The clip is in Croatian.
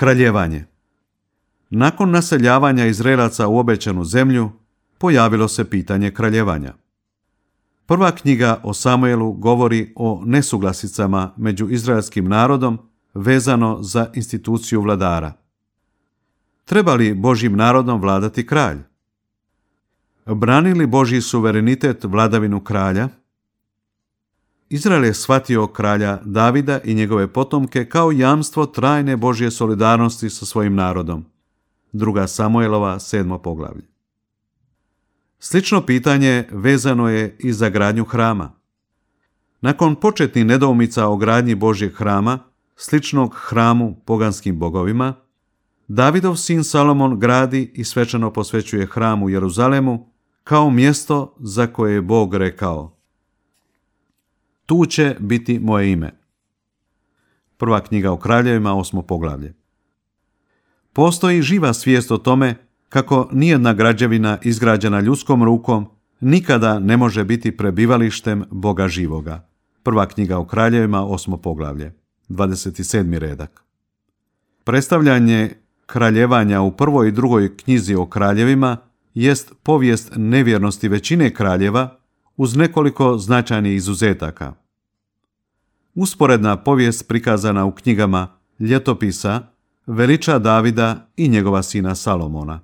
Kraljevanje. Nakon naseljavanja Izraelaca u obećanu zemlju, pojavilo se pitanje kraljevanja. Prva knjiga o Samuelu govori o nesuglasicama među izraelskim narodom vezano za instituciju vladara. Treba li Božjim narodom vladati kralj? Brani li Božji suverenitet vladavinu kralja? Izrael je shvatio kralja Davida i njegove potomke kao jamstvo trajne Božje solidarnosti sa svojim narodom. 2. Samuelova 7. poglavlje. Slično pitanje vezano je i za gradnju hrama. Nakon početnih nedoumica o gradnji Božjeg hrama, sličnog hramu poganskim bogovima, Davidov sin Salomon gradi i svečano posvećuje hram u Jeruzalemu kao mjesto za koje je Bog rekao: tu će biti moje ime. Prva knjiga o kraljevima, 8. poglavlje. Postoji živa svijest o tome kako nijedna građevina izgrađena ljudskom rukom nikada ne može biti prebivalištem Boga živoga. Prva knjiga o kraljevima, 8. poglavlje, 27. redak. Predstavljanje kraljevanja u prvoj i drugoj knjizi o kraljevima jest povijest nevjernosti većine kraljeva uz nekoliko značajnih izuzetaka. Usporedna povijest prikazana u knjigama Ljetopisa veliča Davida i njegova sina Salomona.